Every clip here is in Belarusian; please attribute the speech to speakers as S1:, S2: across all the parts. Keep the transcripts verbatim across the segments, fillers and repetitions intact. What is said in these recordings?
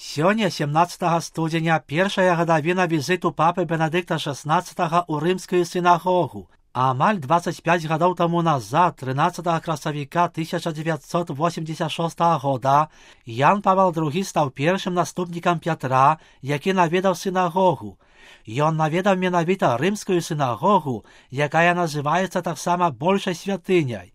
S1: Сёння сямнаццатага студзеня першая гадавіна візіту папы Бенедыкта шаснаццатага ў рымскую сінагогу. Амаль дваццаць пяць гадоў таму назад, трынаццатага красавіка тысяча дзевяцьсот восемьдесят шостага года, Ян Павел другі стаў першым наступнікам Пятра, які наведаў сінагогу. Ён наведаў менавіта рымскую сінагогу, якая называецца таксама большай святыняй.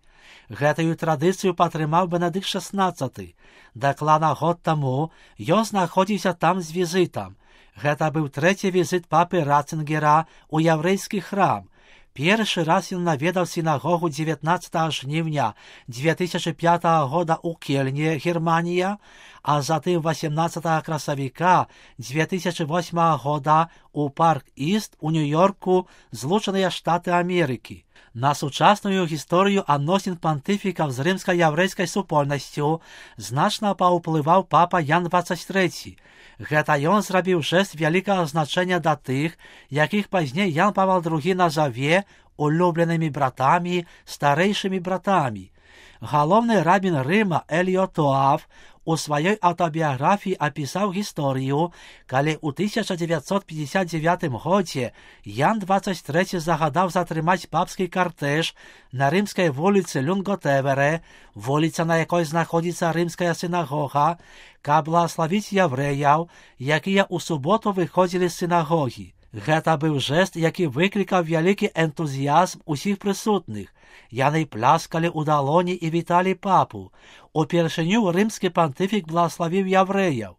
S1: Гэтую традыцыю падтрымаў Бенедыкт шаснаццаты. Дакладна год таму ён знаходзіўся там з візітам. Гэта быў трэці візіт папы Ратцингера ў яўрэйскі храм. Першы раз ён наведаў сінагогу дзевятнаццатага жніўня дзве тысячы пятага года ў Кельне, Германія, а затым васемнаццатага красавіка дзве тысячы восьмага года ў Парк-Іст у Нью-Йорку, Злучаныя Штаты Амерыкі. На сучасную гісторыю адносін пантыфікаў з рымска-яўрэйскай супольнасцю значна паўплываў папа Ян дваццаць трэці. Гэта ён зрабіў жэст вялікага значэння да тых, якіх пазней Ян Павел другі назаве улюбленымі братамі, старэйшымі братамі. Галоўны рабін Рыма Эліот Тоаф у сваёй аўтабіяграфіі апісаў гісторыю, калі ў тысяча дзевяцьсот пятьдесят девятым годзе Ян дваццаць трэці загадаў затрымаць папскі картэж на рымскай вуліцы Люнготевере, вуліца, на якой знаходзіцца рымская сінагога, каб благаславіць яўрэяў, якія ў суботу выходзілі з сінагогі. Гэта быў жэст, які выклікаў вялікі энтузіязм усіх прысутных. Яны пляскалі ў далоні і віталі папу. Упершыню рымскі пантыфік благаславіў яўрэяў.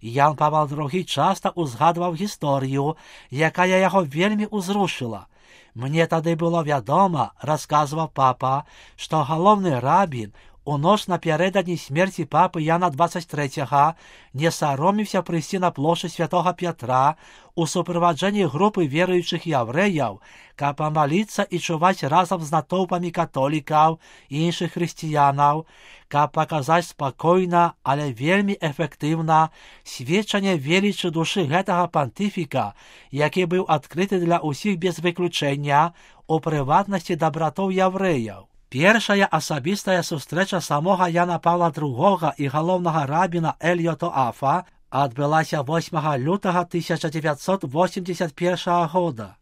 S1: Ян Павел другі часта ўзгадваў гісторыю, якая яго вельмі ўзрушыла. Мне тады было вядома, расказваў папа, што галоўны рабін у ноч напярэдадні смерці папы Яна дваццаць трэцяга не сароміўся прыйсці на плошчу святога Пятра у суправаджэнні групы веруючых яўрэяў, каб памаліцца і чуваць разам з натоўпамі католікаў і іншых хрысціянаў, каб паказаць спакойна, але вельмі эфектыўна сведчанне велічы душы гэтага пантыфіка, які быў адкрыты для ўсіх без выключэння, у прыватнасці да братоў яўрэяў. Першая асабістая сустрэча самога Яна Павла другога і галоўнага рабіна Эліота Тоафа адбылася восьмага лютага тысяча дзевяцьсот восемьдесят першага года.